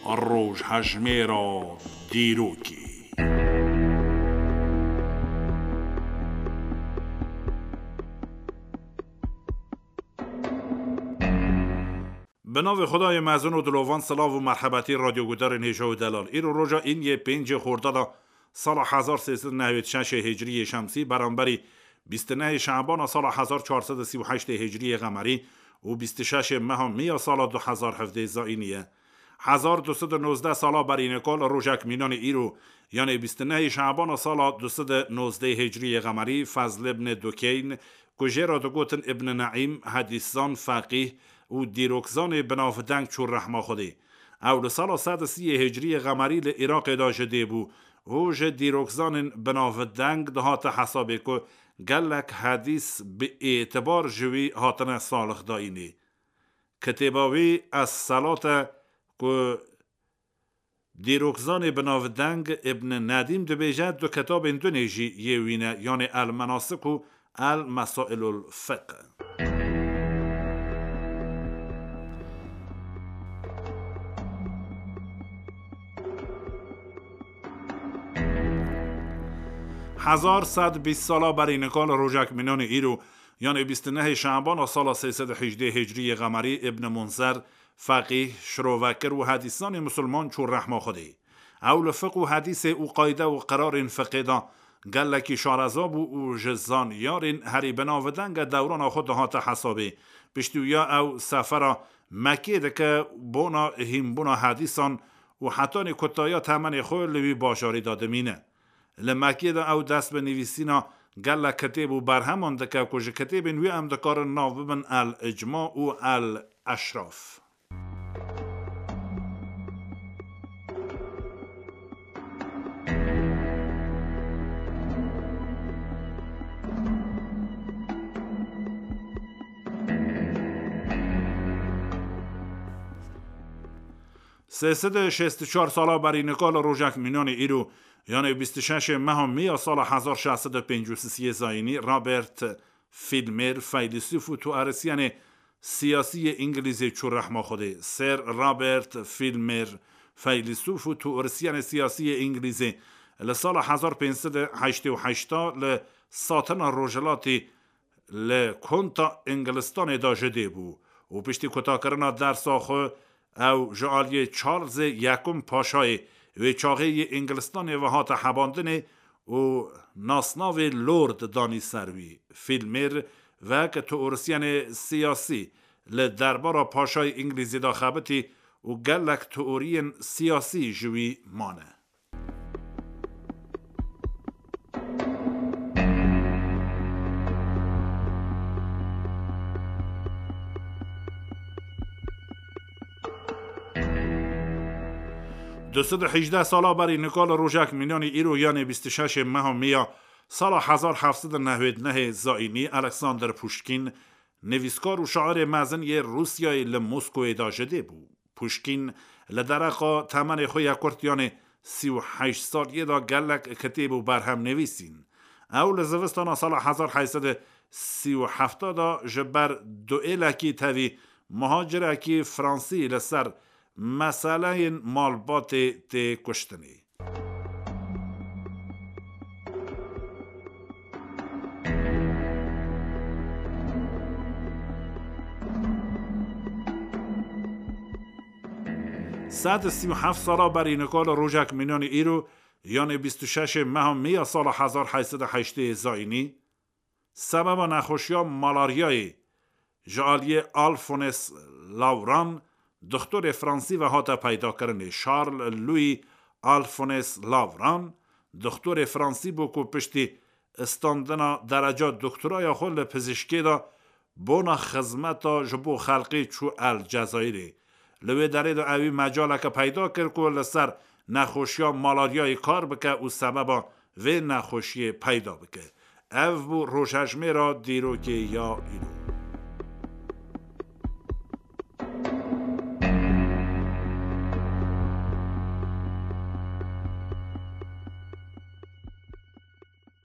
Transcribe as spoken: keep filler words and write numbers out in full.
Rojhejmêra dîrokê. Bi navê Xwedayê mezin û dilovan, silav û merhebetî radyoguhdarên hêja û delal. Îro roja îniyê pêncê Xordada sala hezar sê sed û nehwêd şeşê hicriyê şemsî, beramberî bîst û nehê Şebana sala hezar çar sed û sî û heştê hicriyê qemerî û bîst û şeşê meha Mîya sala du hezar hevdeh zayînî ye. Hezar du sed û nozdeh sala berî nika li rojek mînanê îro, yanê bîst û nehê Şebana sala du sed û nozdeh hicriyê qemerî, Fezl ibn Dukeyn, ku jê re digotin Ibn Neîm, hedîszan, feqîh û dîrokzanê binavdeng çû rehma Xwedê. Ew li sala sed û sî hicriyê qemerî li Iraqê de ji dê bû û ji dîrokzanên binavdeng dihate hesabê ku gelek hedîs bi êtibar ji wî hatine salixdayînê. Kitêba wî Es-Selat e ku dîrokzanê binavdeng Ibn Nedîm dibêje du kitabên dunê jî yê wî ne, yanê El-Menasik û El-Mesailul Fiqh. Hezar sed bîst sala berî nika li rojek mînanê îro, yanê bîst û nehê Şebana sala sê sed û hejdeh hicriyê qemerî, Ibn Munzer, feqîh, şirovekir û hedîsanê misilman çû rehma Xwedê. Ew li fiqh û hedîsê û qayde û qirarên fiqhê de gelekî şareza bû û ji zanyarên herî binavdenge dewrana xwe dihate hesabê. Piştî wî ya ew sefera Mekkê dike bona hînbûna hedîsan û hetanî kutaya temenê xwe li wî bajarî de dimîne. Li Mekkê de ew dest bi nivîsîna gelek kitêb û berheman dike ku ji kitêbên wî em dikarin nav bibin El Îcma û El Eşraf. Sê sed û şêst û çar sala berî nika li rojek mînanê îro, yanê bîst û şeşê meha Mîya sala hezar şeş sed û pêncî û sisiyê zayînî, Robert Filmer, feylesûf û teorisyenê siyasî yê Îngilîzê çû rehma Xwedê. Sir Robert Filmer, feylesûf û teorisyenê siyasî yê Îngilîzê, li sala hezar pênc sed û heştê û heşt li Satina Rojhilatî li Konta Îngilistanê de ji dê bû û piştî kutakirina dersa xwe ew ji aliyê Charlesê Yekum Paşayê wê çaxê yê Îngilistanê ve hate hebandinê û nasnavê Lord danî ser wî. Filmer wek teorisyenê siyasî li derbara Paşayê Îngilîzî de xebitî û gelek teoriyên siyasî ji wî mane. Du sed û hejdeh sala berî nika li rojek mînanî îro, yanê bîst û şeşê meha Mîya, sala hezar heft sed û nehwêd nehê zayînî, Alexander Puşkîn, nivîskar û şairê mezin yê Rûsyayê li Moskowê de ji dê bû. Puşkîn li dereqa temenê xwe ya kurt, yanê sî û heşt saliyê de gelek kitêb û berhem nivîsîn. Ew li zivistana sala hezar heyt sed û sî û heft de ji ber duêlekî tevî muhacirekî fransî li ser meseleyên malbatê tê kuştinê. Sed û sî û heft sala berî nika li rojek mînanî îro, yanê bîst û şeşê meha Mîya sala hezar heyt sed û heştê zayînî, sebeba nexweşiya malaryayê ji aliyê Alphonse Laurent, dixtorê fransî ve hate peydakirinê. Charles Louis Alphonse Laurent, dixtorê fransî bû ku piştî standina dereca doktoraya xwe li pizîşkê de bona xizmeta ji bo xelkê çû El Cezayirê. Li wê derê de ewî mecaleke peyda kir ku li ser nexweşiya malaryayê kar bike û sebeba vê nexweşiyê peyda bike. Ev bû rojhejmêra dîrokê ya îro.